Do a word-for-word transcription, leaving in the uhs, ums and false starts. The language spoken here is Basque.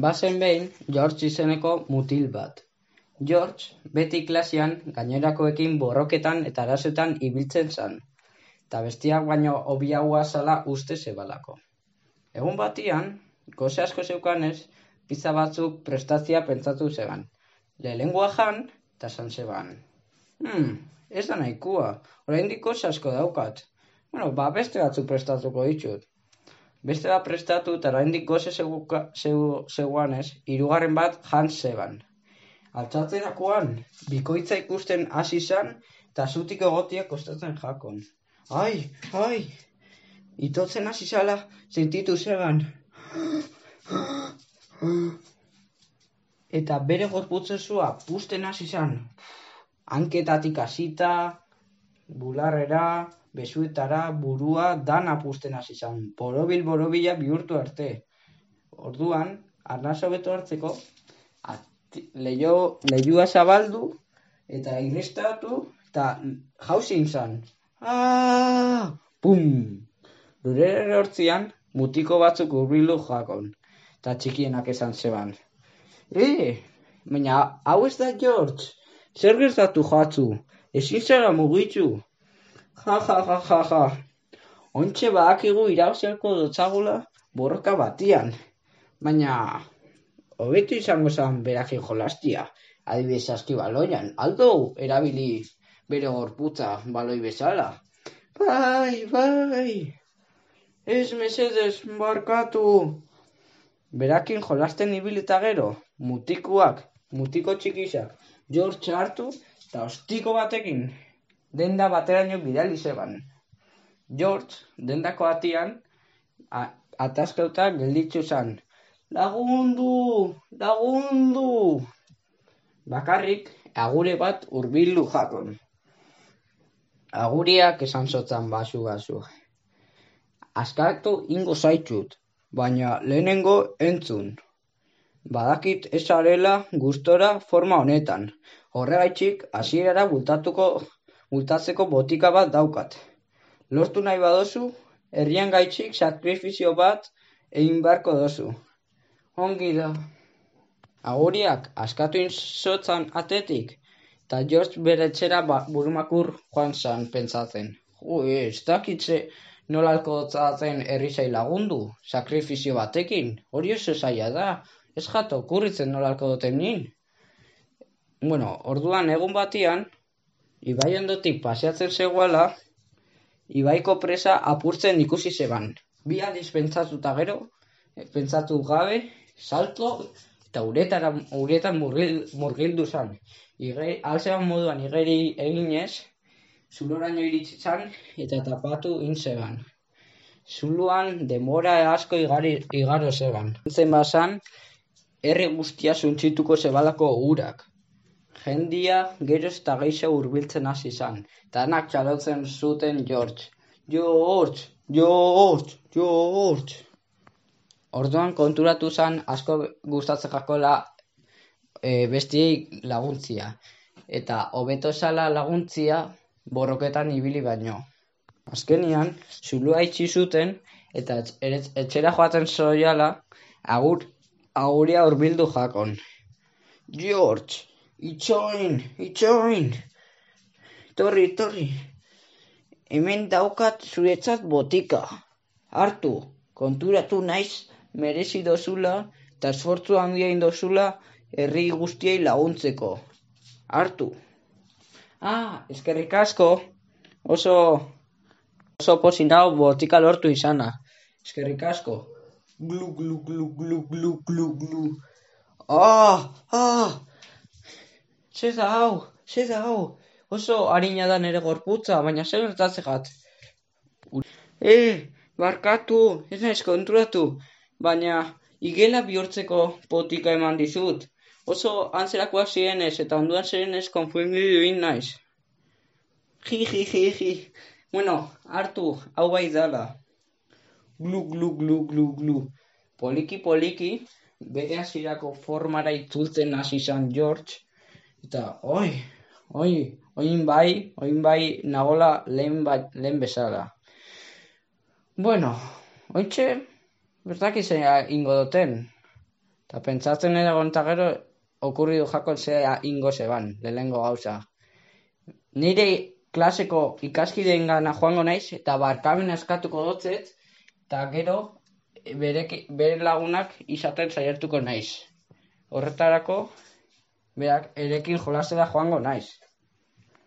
Bazen behin George izeneko mutil bat. George beti klasean gainerakoekin borroketan eta arazoetan ibiltzen zan, eta bestiak baino hobiagoa zala uste zebalako. Egun batian, gose asko zeukanez, pizza batzuk prestatzea pentsatu zeban. Lehenengoa jan, eta esan zeban. Hmm, ez da nahikoa, oraindik gose asko daukat. Bueno, ba beste batzuk prestatuko ditut. Beste bat prestatu eta oraindik gose zegoanez, hirugarren bat jan zeban. Altxatzerakoan, bikoitza ikusten hasi zan, eta zutik egotia kostatzen jakon. Ai, ai, itotzen hasi zala sentitu zeban. Eta bere gorputzezua pusten hasi zan. Hanketatik hasita, bularrera, besuetara, burua, dana pusten hasi zan. Borobil-borobila bihurtu arte. Orduan, arnasa hobeto hartzeko, leio, leiua zabaldu, eta irristatu, eta jauzin zan. Aaaa! Pum! Lurere hortzian, mutiko batzuk hurbildu jakon, eta txikienak esan zeban. E, baina hau ez da George, zer gertatu jatzu, ezin zara mugitu. Ja, ja, ja, ja, ja. Ontxe badakigu irabaziko dotzagula borroka batian, baina hobetu izango zen berakin jolastia, adibidez saskibaloian, aldo erabili bere gorputza baloi bezala. Bai, bai, ez mesedez barkatu. Berakin jolasten ibilita gero, mutikuak, mutiko txikisak, George hartu eta ostiko batekin denda bateraino bidali zeban. George, dendako atian, ataskauta gelditzu zan. Lagundu, lagundu! Bakarrik, agure bat hurbildu jakon. Aguriak esan zotzan basu-basu. Askatu ingo zaitut, baina lehenengo entzun. Badakit ez zarela gustora forma honetan. Horregaitxik hasierara bultatuko bultatzeko botika bat daukat. Lortu nahi badozu, herrian gaitxik sakrifizio bat egin beharko dozu. Ongi da. Aguriak askatu inzotzan atetik, eta George bere etxera burumakur joan zan pentsatzen. Jo, ez dakitze nolalko dotzatzen herrizai lagundu, sakrifizio batekin, hori oso zaila da, ez jato kurritzen nolalko doten nin. Bueno, orduan egun batian, ibai ondotik paseatzen zegoela, ibaiko presa apurtzen ikusi zeban. Bi aldiz pentsatuta gero, pentsatu gabe, salto, eta uretara, uretan murgil, murgildu zan. Alzeban moduan igeri eginez, zuloraino iritsi zan, eta tapatu intzeban. Zuluan demora asko igari, igaro zeban. Zen bazan, herri guztia suntzituko zebalako urak. Jendia geroz eta gehiago hurbiltzen hasi zan, eta anak txalotzen zuten George. George, George, George. Orduan konturatu zan asko gustatzen jakola e, bestiei laguntzia. Eta hobeto zala laguntzia borroketan ibili baino. Azkenian, zulua itxi zuten eta etxera joaten zoiala agur, aguria hurbildu jakon. George, itxoin, itxoin. Torri, torri. Hemen daukat zuretzat botika. Hartu, konturatu naiz merezi dozula eta esfortzu handia indozula herri guztiei laguntzeko. Hartu. Ah, eskerrik asko. Oso, oso posinau botika lortu izana. Eskerrik asko. Glu, glu, glu, glu, glu, glu, glu. Ah, ah. Zer da hau, zer da hau. Oso harina da nere gorputza, baina zer gertatzegat. Eh, barkatu, ez naiz konturatu, baina igela bihurtzeko potika eman dizut. Oso antzerakoak zirenez eta onduan zirenez konfundidu egin naiz. Ji, ji, ji, ji. Bueno, hartu, hau bai dala. Glu, glu, glu, glu, glu. Poliki, poliki, bere hasierako formara itzultzen hasi zan George. Eta, oi, oi, oin bai, oin bai nagola lehen, ba, lehen bezala. Bueno, ointxe, bertak izan ingo duten. Eta pentsatzen egon eta gero, okurridu jako zea ingo zeban, lehenengo gauza. Nire klaseko ikaskideen gana joango naiz, eta barkamen eskatuko dotzet, eta gero bere, bere lagunak izaten saiatuko naiz. Horretarako, berak erekin jolasera joango naiz.